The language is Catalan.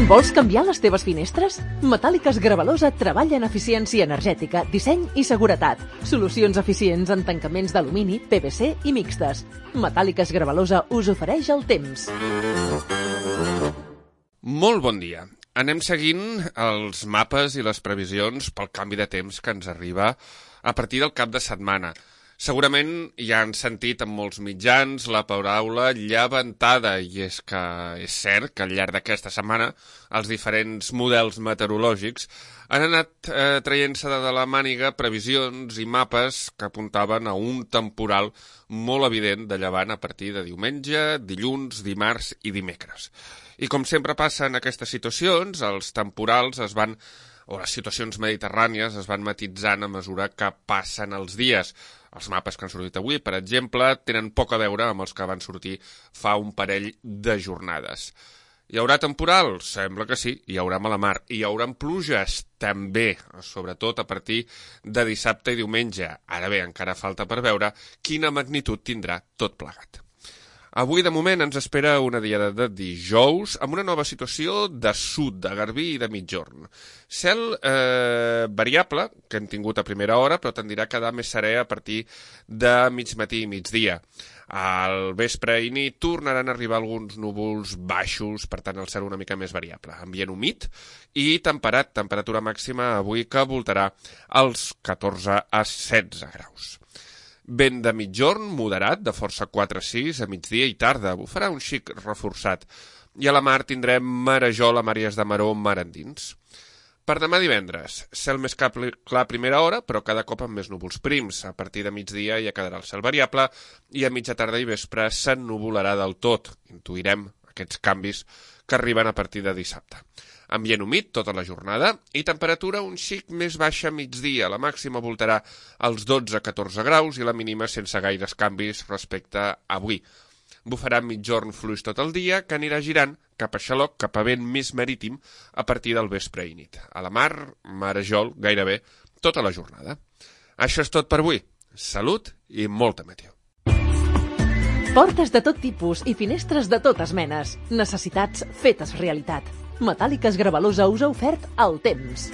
Vols canviar les teves finestres? Metàl·liques Gravalosa treballa en eficiència energètica, disseny i seguretat. Solucions eficients en tancaments d'alumini, PVC i mixtes. Metàl·liques Gravalosa us ofereix el temps. Molt bon dia. Anem seguint els mapes i les previsions pel canvi de temps que ens arriba a partir del cap de setmana. Segurament ja han sentit en molts mitjans la paraula llevantada, i és que és cert que al llarg d'aquesta setmana els diferents models meteorològics han anat traient-se de la màniga previsions i mapes que apuntaven a un temporal molt evident de llevant a partir de diumenge, dilluns, dimarts i dimecres. I com sempre passa en aquestes situacions, els temporals les situacions mediterrànies es van matitzant a mesura que passen els dies. Els mapes que han sortit avui, per exemple, tenen poc a veure amb els que van sortir fa un parell de jornades. Hi haurà temporal? Sembla que sí. Hi haurà mala mar. Hi haurà pluges? També, sobretot a partir de dissabte i diumenge. Ara bé, encara falta per veure quina magnitud tindrà tot plegat. Avui, de moment, ens espera una diada de dijous amb una nova situació de sud, de garbí i de migjorn. Cel variable, que hem tingut a primera hora, però tendirà a quedar més serè a partir de mig matí i migdia. Al vespre i nit tornaran a arribar alguns núvols baixos, per tant el cel una mica més variable. Ambient humit i temperat, temperatura màxima avui que voltarà als 14 a 16 graus. Vent de migjorn moderat, de força 4-6 a migdia i tarda, bufarà un xic reforçat. I a la mar tindrem marejol a àrees de maró mar endins. Per demà divendres, cel més clar a primera hora, però cada cop amb més núvols prims. A partir de migdia ja quedarà el cel variable i a mitja tarda i vespre s'ennuvolarà del tot. Intuirem aquests canvis que arriben a partir de dissabte. Ambient humit tota la jornada i temperatura un xic més baixa a migdia. La màxima voltarà als 12-14 graus i la mínima sense gaires canvis respecte a avui. Bufarà migjorn fluix tot el dia que anirà girant cap a xaloc, cap a vent més marítim a partir del vespre i nit. A la mar, marejol gairebé tota la jornada. Això és tot per avui. Salut i molta meteo. Portes de tot tipus i finestres de totes menes. Necessitats fetes realitat. Metàl·liques Gravalosa us ha ofert el temps.